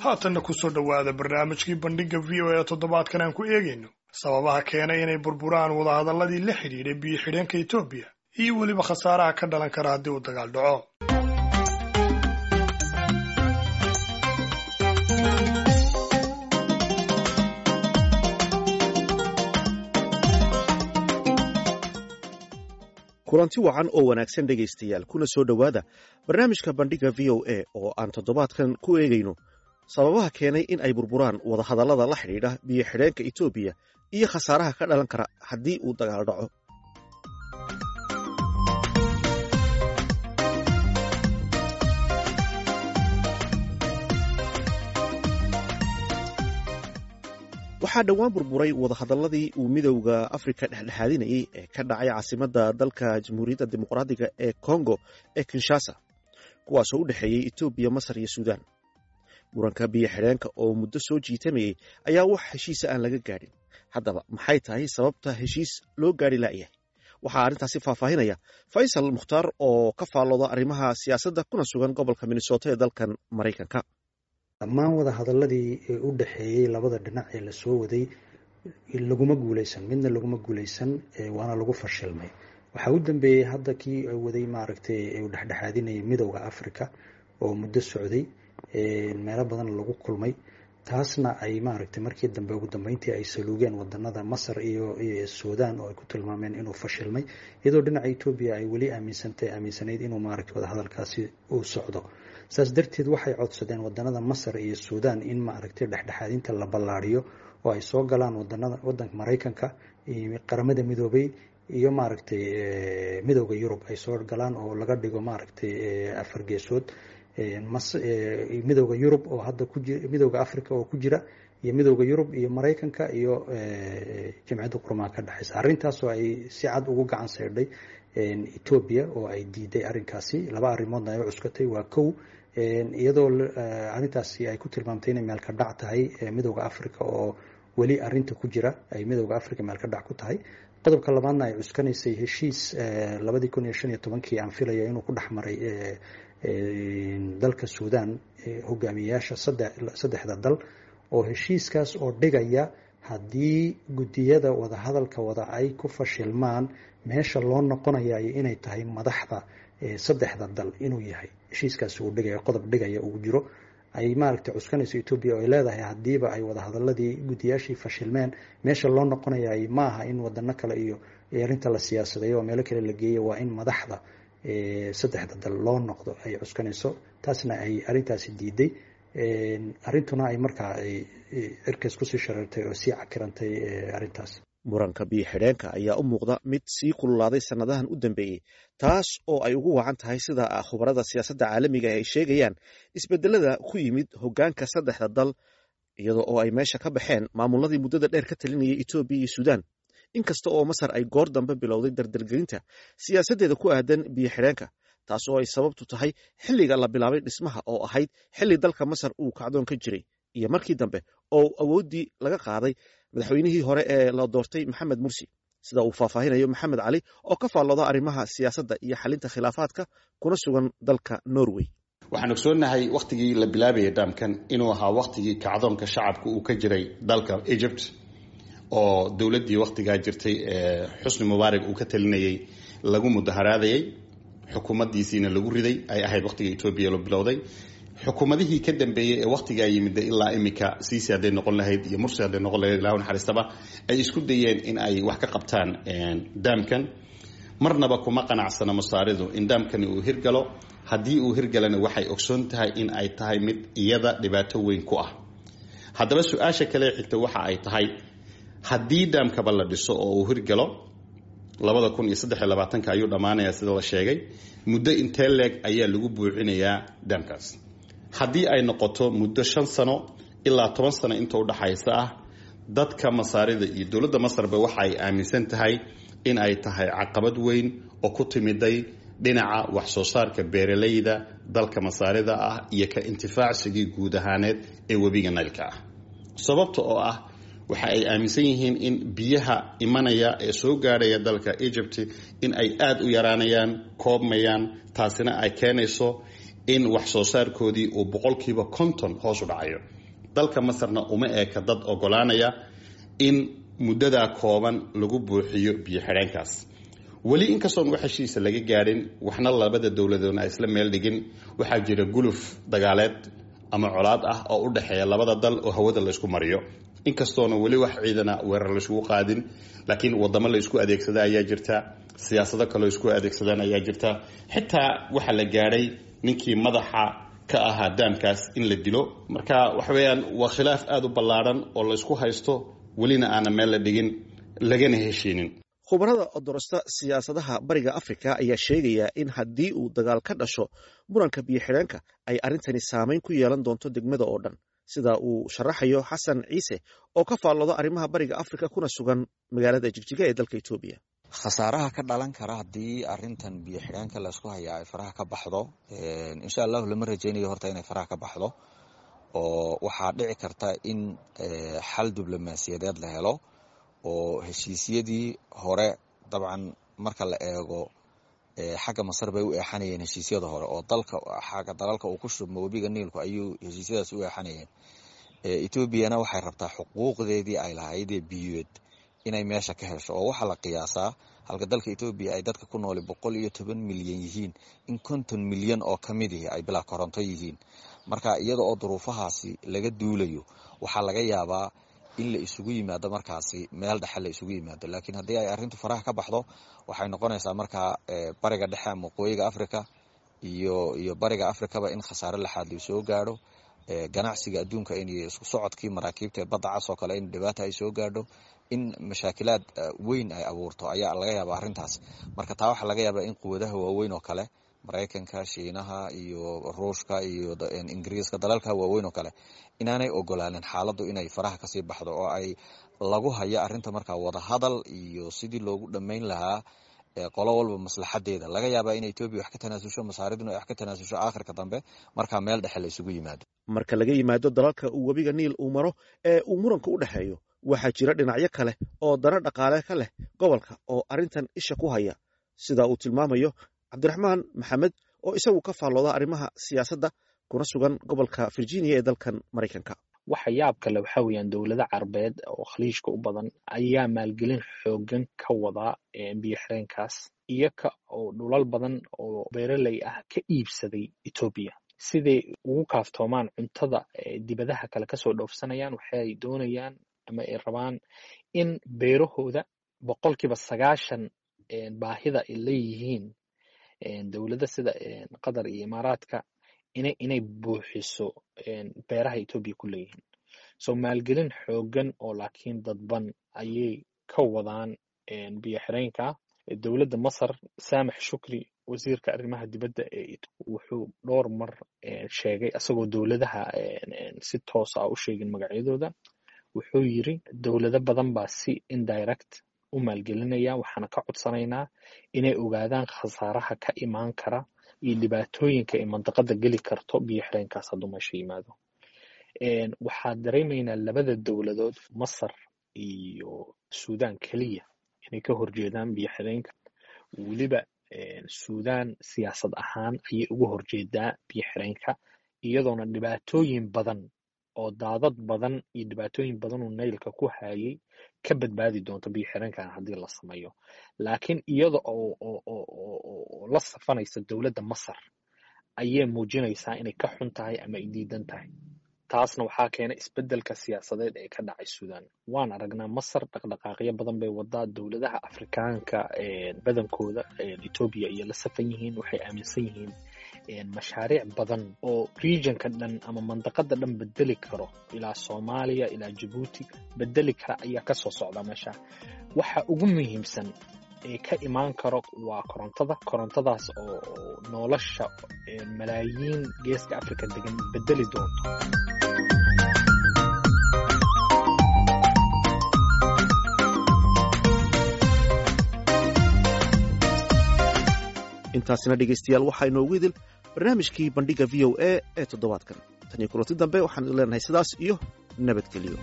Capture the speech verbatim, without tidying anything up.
Haatanna kusoo dhowaada barnaamijkii Bandhigga V O A. Toddobaadkan aan ku eegayno sababaha keenay inay burburaan wadahadalladii la xidhiidhay biyo xidheenka Etoobiya iyo weliba khasaaraha ka dhalan kara haddii uu dagaal dhaco. Kulanti wacan oo wanaagsan, dhegaystayaal, kuna soo dhowaada barnaamijka Bandhigga V O A oo aan toddobaadkan ku eegayno sababaha keenay in ay burburaan wadahadallada la xidhiidha biyo xidheenka Etoobiya iyo khasaaraha ka dhalan kara haddii uu dagaal dhaco. Waxaa dhowaan burburay wadahadalladii uu Midowda Afrika dhexdhexaadinayey ee ka dhacay caasimadda dalka Jamhuuriyadda Dimuqraadiga ee Kongo ee Kinshasa, kuwaasoo u dhexeeyey Etoobiya, Masar iyo Suudaan. Muranka biyo xidheenka oo muddo soo jiitamayey ayaa wax heshiisa aan laga gaadhin. Haddaba, maxay tahay sababta heshiis loo gaadhi la'yahay? Waxaa arrintaasi faahfaahinaya Faysal Mukhtaar oo ka faallooda arrimaha siyaasadda kuna sugan gobolka Minnesota ee dalkan Maraykanka. Dhammaan wada hadaladii ee u dhexeeyey labada dhinac ee lasoo waday laguma guuleysan, midna laguma guuleysan, waana lagu fashilmay. Waxaa u dambeeyey hadda kii waday, maaragtay, uu dhexdhexaadinayay Midowda Africa oo muddo socday, meelo badan lagu kulmay, taasna ay, maaragtay, markii dambe ugu dambeyntii ay saluugeen wadanada Masar iyo Sudan oo ay ku tilmaameen inuu fashilmay, iyadoo dhinaca Etoobiya ay weli aaminsantay aaminsanayd inuu, maaragtay, wadahadalkaasi uu socdo. Saas darteed waxay codsadeen wadanada Masar iyo Sudan in, maaragtay, dhexdhexaadinta la ballaariyo oo ay soo galaan wadanada wadanka Maraykanka, Qaramada Midoobay iyo, maaragtay, Midowda Yurub ay soo galaan oo laga dhigo, maaragtay, afar geesood: Midowda Yurub oo hadda ku Midowda Africa oo ku jira iyo Midowda Yurub iyo Maraykanka iyo Jamciyadda Quruumaha ka dhexeysa. Arrintaas oo ay si cad ugu gacan saydhay Etoobiya oo ay diiday arrinkaasi. Laba arrimoodna ay u cuskatay. Waa kow, iyadoo arrintaasi ay ku tilmaamtay inay meel ka dhac tahay Midowda Africa oo weli arrinta ku jira, ay Midowda Africa meel ka dhac ku tahay. Qodobka labaadna ay cuskanaysay heshiis labadii kun iyo shan iyo tobankii aan filaya inuu ku dhex maray dalka Suudan hogaamiyeyaasha saddexda dal, oo heshiiskaas oo dhigaya haddii guddiyada wadahadalka wada ay ku fashilmaan, meesha loo noqonayayo inay tahay madaxda saddexda dal inuu yahay. Heshiiskaasi uu dhigaya, qodob dhigaya uu jiro, ay, maaragtay, cuskanayso Etoobiya oo ay leedahay haddiiba ay wadahadaladii guddiyaashii fashilmeen, meesha loo noqonayay maaha in wadano kale iyo arrinta la siyaasadeeyo oo meelo kale la geeyo, waa in madaxda saddexda dal loo noqdo ay cuskanayso. Taasna ay arrintaasi diiday, arrintuna ay markaa ay cirkaas kusii shareertay oo sii cakirantay arrintaas. Muranka biyo xidheenka ayaa u muuqda mid sii kululaaday sannadahan u dambeeyey, taas oo ay ugu wacan tahay, sida khubarada siyaasadda caalamiga ay sheegayaan, isbedelada ku yimid hoggaanka saddexda dal, iyadoo oo ay meesha ka baxeen maamuladii muddada dheer ka talinayay Etoobiya iyo Suudaan. Inkasta oo Masar ay goor dambe bilowday dardargelinta siyaasaddeeda ku aadan biyo xidheenka, taas oo ay sababtu tahay xilliga la bilaabay dhismaha oo ahayd xilli dalka Masar uu kacdoon ka jiray iyo markii dambe oo awooddii laga qaaday madaxweynihii hore ee la doortay, Maxamed Mursi, sida uu faahfaahinayo Maxamed Cali oo ka faallooda arrimaha siyaasadda iyo xalinta khilaafaadka kuna sugan dalka Norway. Waxaan ogsoonnahay wakhtigii la bilaabayay dhaamkan inuu ahaa wakhtigii kacdoonka shacabka uu ka jiray dalka Egypt, oo dowladdii wakhtigaa jirtay ee Xusni Mubaarak uu ka talinayay lagu mudaharaadayay, xukuumaddiisiina lagu riday. Ay ahayd wakhtiga Etoobiya la bilowday. Xukuumadihii ka dambeeyey ee wakhtigaa yimid ilaa imika, Siisi hadday noqon lahayd iyo Mursi hadday noqon lahayd, Ilaahu naxariistaba, ay isku dayeen in ay wax ka qabtaan daamkan. Marnaba kuma qanacsana Masaaridu in daamkani uu hirgalo. Haddii uu hirgalana, waxay ogsoon tahay in ay tahay mid iyada dhibaato weyn ku ah. Haddaba, su-aasha kale xigta waxa ay tahay, haddii daamkaba la dhiso oo uu hirgalo, labada kun iyo saddex iyo labaatanka ayuu dhammaanayaa sida la sheegay, muddo intee leeg ayaa lagu buuxinayaa daamkaas? Haddii ay noqoto muddo shan sano ilaa toban sano inta udhaxaysa ah, dadka Masaarida iyo dowladda Masarba waxa ay aaminsan tahay in ay tahay caqabad weyn oo ku timiday dhinaca wax soo saarka beeralayda dalka Masaarida ah iyo ka intifaacsigii guud ahaaneed ee webiga Naylka ah, sababta oo ah waxa ay aaminsan yihiin in biyaha imanaya ee soo gaadhaya dalka Egypt in ay aada u yaraanayaan, koobmayaan, taasina ay keenayso in wax soo saarkoodii uu boqolkiiba konton hoos u dhacayo. Dalka Masarna uma eeka dad ogolaanaya in muddadaa kooban lagu buuxiyo biyo xidheenkaas. Weli inkastoon wax heshiisa laga gaadhin, waxna labada dowladoodna ay isla meel dhigin, waxaa jira guluf dagaaleed ama colaad ah oo u dhexeeya labada dal oo hawada laysku mariyo. Inkastoona weli wax ciidana weerar layskugu qaadin, laakiin wadamo la isku adeegsada ayaa jirta, siyaasado kaloo isku adeegsadaan ayaa jirta. Xitaa waxaa la gaadhay ninkii madaxa ka ahaa daamkaas in la dilo. Marka waxa weeyaan waa khilaaf aada u ballaadhan oo laysku haysto, welina aana meel la dhigin lagana heshiinin. Khubarada odorosta siyaasadaha Bariga Afrika ayaa sheegaya in haddii uu dagaal ka dhasho muranka biyo xidheenka, ay arrintani saameyn ku yeelan doonto degmada oo dhan, sida uu sharaxayo Xasan Ciise oo ka faallooda arrimaha Bariga Afrika kuna sugan magaalada Jigjiga ee dalka Etoobiya. Khasaaraha ka dhalan kara haddii arrintan biyo xidheenka laysku hayaa ay faraha ka baxdo, insha allahu lama rajaynayo horta inay faraha ka baxdo, oo waxaa dhici karta in xal diblomaasiyadeed la helo oo heshiisyadii hore, dabcan marka la eego xagga Masar bay u eexanayeen heshiisyada hore oo dalka xagga dalalka uu ku shubmo webiga Niilku ayuu heshiisyadaas u eexanayeen. Etoobiyana waxay rabtaa xuquuqdeedii ay lahaydee biyoed inay meesha ka hesho, oo waxaa la qiyaasaa halka dalka Etoobiya ay dadka ku nooli boqol iyo toban milyan yihiin, in konton milyan oo ka mid ihi ay bilaa koronto yihiin. Marka iyada oo duruufahaasi laga duulayo, waxaa laga yaabaa in la isugu yimaado markaasi meel dhexe la isugu yimaado. Laakiin haddii ay arrintu faraha ka baxdo, waxay noqonaysaa markaa Bariga Dhexe ama Waqooyiga Africa iyo iyo Bariga Afrikaba in khasaare laxaad la soo gaadho, ganacsiga adduunka in isku socodkii maraakiibta ee badda cas oo kale in dhibaata ay soo gaadho, in mashaakilaad weyn ay abuurto ayaa laga yaabaa arrintaas. Marka taa waxaa laga yaabaa in quwadaha waaweyn oo kale, Maraykanka, Shiinaha iyo Ruushka iyo Ingiriiska, dalalka waaweyn oo kale, inaanay ogolaanin xaaladdu inay faraha kasii baxdo oo ay lagu hayo arrinta markaa wadahadal iyo sidii loogu dhammayn lahaa qolo walba maslaxadeeda. Laga yaabaa in Etoobiya wax ka tanaasusho, Masaariduna ay wax ka tanaasusho, aakhirka dambe markaa meel dhexe la isugu yimaado. Marka laga yimaado dalalka uu webiga Niil uu maro ee uu muranka u dhexeeyo, waxaa jira dhinacyo kale oo dano dhaqaale ka leh gobolka oo arrintan isha ku haya, sida uu tilmaamayo Cabdiraxmaan Maxamed oo isagu ka faallooda arrimaha siyaasadda kuna sugan gobolka Virginia ee dalkan Maraykanka. Waxa yaab kale waxaa weeyaan dowlado Carbeed oo Khaliijka u badan ayaa maalgelin xoogan ka wadaa biyo xireenkaas, iyaga oo dhulal badan oo beeraley ah ka iibsaday Etoobiya siday ugu kaaftoomaan cuntada dibadaha kale kasoo dhoofsanayaan. Waxay doonayaan ama ay rabaan in beerahooda boqolkiiba sagaashan baahida ay leeyihiin dowladda sida Qatar iyo Imaaraadka inay inay buuxiso beeraha Etoobiya ku leeyihiin. So maalgelin xoogan oo laakiin dadban ayay ka wadaan biyo xireenka. Dowladda Masar, Saamax Shukri, wasiirka arrimaha dibadda ee, wuxuu dhowr mar sheegay, isagoo dowladaha si toos ah u sheegin magacyadooda, wuxuu yiri dowlado badan baa si indirect u maalgelinaya, waxaana ka codsanaynaa inay ogaadaan khasaaraha ka imaan kara iyo dhibaatooyinka ay mandaqada geli karto biyo xireenkaas hadduu meesha yimaado. Waxaa dareemaynaa labada dowladood, Masar iyo Suudaan, keliya inay ka horjeedaan biyo xireenka. Weliba Suudaan siyaasad ahaan ayay uga horjeedaa biyo xireenka, iyadoona dhibaatooyin badan oo daadad badan iyo dhibaatooyin badan oo Naylka ku hayay ka badbaadi doonto biyo xireenkan haddii la sameeyo, laakiin iyada oo oo oo oo la safanaysa dowladda Masar ayay muujinaysaa inay ka xun tahay ama ay diidan tahay. Taasna waxaa keenay isbeddelka siyaasadeed ee ka dhacay Suudaan. Waan aragnaa Masar dhaqdhaqaaqyo badan bay wadaa. Dowladaha Afrikaanka badankooda Etoobiya iyo la safan yihiin. Waxay aaminsan yihiin mashaariic badan oo regionka dhan ama mandaqada dhan bedeli karo, ilaa Soomaaliya ilaa Jabuuti bedeli kara ayaa ka soo socda meesha. Waxa ugu muhiimsan ee ka imaan karo waa korontada, korontadaas oo nolosha malaayiin geeska Afrika degan bedeli doonto. Intaasina dhegeystayaal waxaa inoogu idil barnaamijkii Bandhigga V O A ee toddobaadkan. Tan iyo kulanti dambe, waxaan idin leenahay sidaas iyo nabadgeliyo.